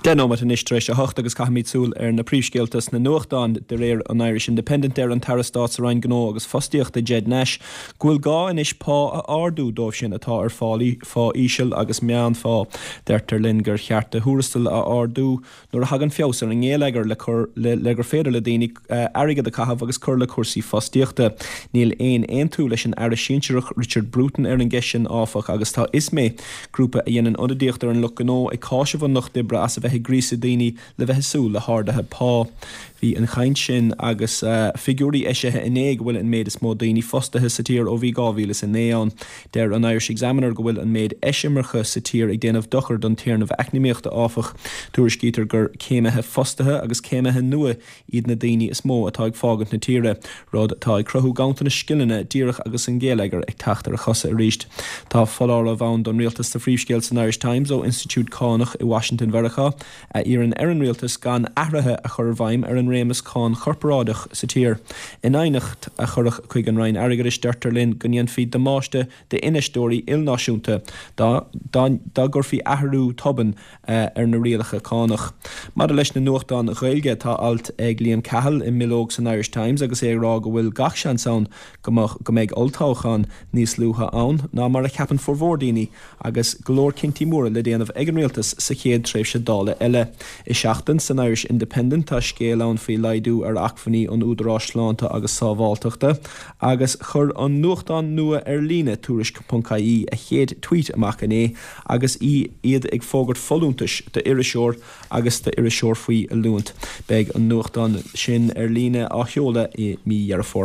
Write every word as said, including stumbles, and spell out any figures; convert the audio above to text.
Deich nóiméad anois tar éis a hocht agus caithfimid súil ar na príomhscéalta sna nuachtáin. De réir an Irish Independent, deir an tAire Stáit sa Roinn Gnó agus Fostaíochta Ged Nash go bhfuil gá anois pá a ardú dóibh sin atá ar phá íseal agus meánphá. Deirtear linn gur cheart do thuarastail a ardú nuair a thagann feabhas ar an ngeilleagar le cur le, le gur féidir le daoine airgead a chaitheamh agus cur le cúrsaí fostaíochta. Níl aon aontú leis an Aire Sinsearach Richard Bruton ar an gceist sin áfach agus tá ISME, grúpa a dhéanann ionadaíocht ar an lucht gnó ag cáiseamh an lucht oibre as a bheith ag gríosadh daoine le bheith ag súil le harduithe pá. Bhí an chaint sin agus figiúirí eisithe inné go bhfuil an méid is mó daoine fostaithe sa tír ó bhí dhá mhíle is a naoi ann. Deir an Irish Examiner go bhfuil an méid eisimirce sa tír ag déanamh dochar don téarnamh eacnamaíochta áfach. Tuairiscítear gur céimithe fostaithe agus céimithe nua iad na daoine is mó atá ag fágaint na tíre, rud atá ag cruthú ganntanas scileanna díreach agus an geilleagar ag teacht ar a chosa arís. Tá foláireamh ann don rialtas sa phríomhscéal san Irish Times ó Institiúid Cánach i Washington Mheiriceá a iarrann ar an rialtas gan athruithe a chur i bhfeidhm ar an réimeas cáin chorparáideach sa tír. In aighneacht a cuireadh chuig an Roinn Airgeadais deirtear linn go ndéanfaí damáiste d'infheisteoirí ilnáisiúnta dá dá gcuirfí athrú tobann ar na rialacha cánach. Maidir leis na nuachtáin Ghaeilge tá alt ag Liam Cahill i mbileog san Irish Times agus é ag rá go bhfuil gach seans ann go mbeadh go mbeidh olltoghchán níos luaithe ann ná mar a cheapann formhór daoine agus go leor cinntí móra le déanamh ag an rialtas sa chéad tréimhse Dála eile. I Seachtain san Irish Independent tá scéal ann faoi laghdú ar acmhainní an Údaráis Sláinte agus Sábháilteachta agus chuir an nuachtán nua ar líne tuairisc ponc ie a chéad tweet amach inné agus í iad ag fógairt folúntais d'iriseoir agus d'iriseoir faoi oiliúint. Beidh an nuachtán sin ar líne á sheoladh i mí Dheireadh Fómhair.